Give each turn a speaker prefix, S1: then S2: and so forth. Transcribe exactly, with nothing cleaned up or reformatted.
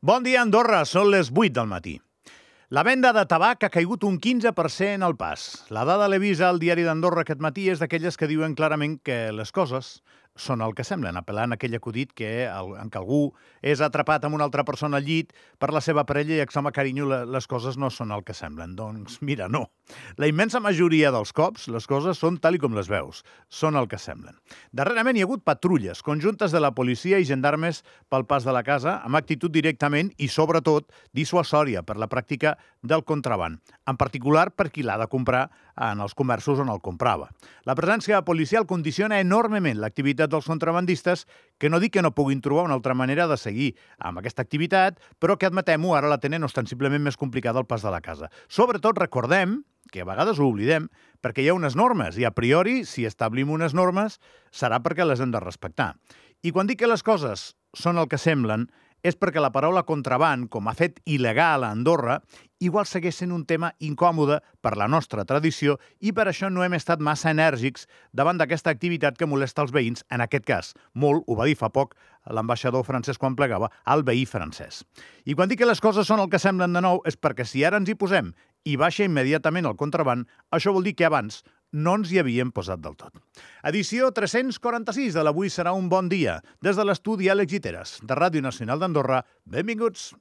S1: Bon dia, Andorra. Són les vuit del matí. La venda de tabac ha caigut un quinze per cent al pas. La dada l'he vist al diari d'Andorra aquest matí és d'aquelles que diuen clarament que les coses són el que semblen, apel·lant a aquell acudit que, en què algú és atrapat amb una altra persona al llit per la seva parella i exclama, carinyo, les coses no són el que semblen. Doncs mira, no. La immensa majoria dels cops, les coses són tal i com les veus, són el que semblen. Darrerament hi ha hagut patrulles conjuntes de la policia i gendarmes pel pas de la casa, amb actitud directament i, sobretot, dissuasòria per la pràctica del contraban, en particular per qui l'ha de comprar en els comerços on el comprava. La presència policial condiciona enormement l'activitat dels contrabandistes, que no dic que no puguin trobar una altra manera de seguir amb aquesta activitat, però que, admetem-ho, ara la tenen ostensiblement més complicada al pas de la casa. Sobretot recordem, que a vegades ho oblidem, perquè hi ha unes normes, i a priori, si establim unes normes, serà perquè les hem de respectar. I quan dic que les coses són el que semblen, és perquè la paraula contraban, com a fet il·legal a Andorra, igual segueix sent un tema incòmode per la nostra tradició i per això no hem estat massa enèrgics davant d'aquesta activitat que molesta els veïns, en aquest cas. Molt, ho va dir fa poc l'ambaixador francès quan plegava, al veí francès. I quan dic que les coses són el que semblen de nou és perquè si ara ens hi posem i baixa immediatament el contraban, això vol dir que abans no ens hi havíem posat del tot. Edició tres-cents quaranta-sis de l'Avui serà un bon dia. Des de l'estudi Àlex Guiteras, de Ràdio Nacional d'Andorra, benvinguts.